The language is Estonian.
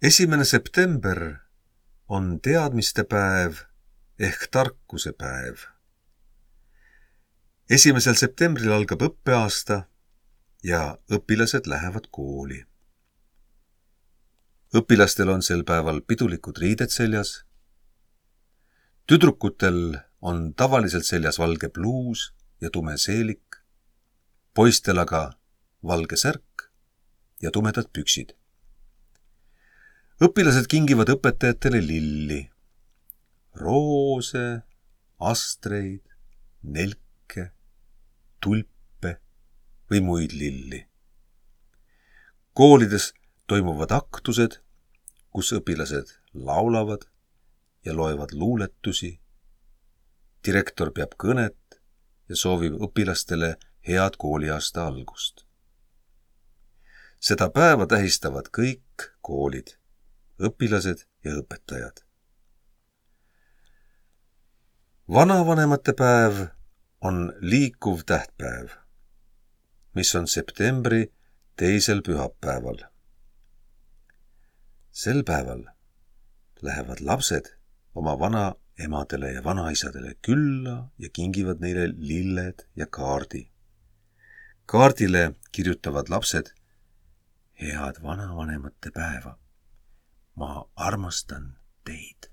1. september on teadmiste päev ehk tarkuse päev. 1. septembril algab õppeaasta ja õpilased lähevad kooli. Õpilastel on sel päeval pidulikud riided seljas. Tüdrukutel on tavaliselt seljas valge pluus ja tume seelik, poistel aga valge särk ja tumedad püksid. Õpilased kingivad õpetajatele lilli, roose, astreid, nelke, tulpe või muid lilli. Koolides toimuvad aktused, kus õpilased laulavad ja loevad luuletusi. Direktor peab kõnet ja soovib õpilastele head kooliaasta algust. Seda päeva tähistavad kõik koolid, õpilased ja õpetajad. Vanavanemate päev on liikuv tähtpäev, mis on septembri 2. pühapäeval. Sel päeval lähevad lapsed oma vanaemadele ja vanaisadele külla ja kingivad neile lilled ja kaardi. Kaardile kirjutavad lapsed: head vanavanemate päeva! Ma armastan teid.